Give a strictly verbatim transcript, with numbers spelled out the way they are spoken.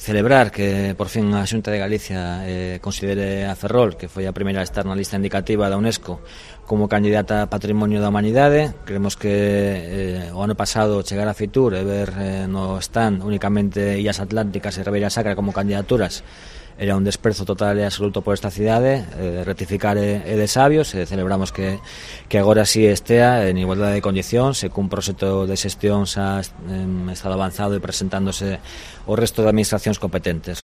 celebrar que por fin a Xunta de Galicia eh, considere a Ferrol, que foi a primeira a estar na lista indicativa da UNESCO, como candidata a Patrimonio da Humanidade. Creemos que eh, o ano pasado chegar a Fitur e ver eh, no stand únicamente Illas Atlánticas e Ribeira Sacra como candidaturas era un desprezo total e absoluto por esta cidade. Eh, rectificar é, é de sabios, e celebramos que, que agora sí estea en igualdade de condicións e cun proxecto de xestión xa en estado avanzado e presentándose o resto de administracións competentes.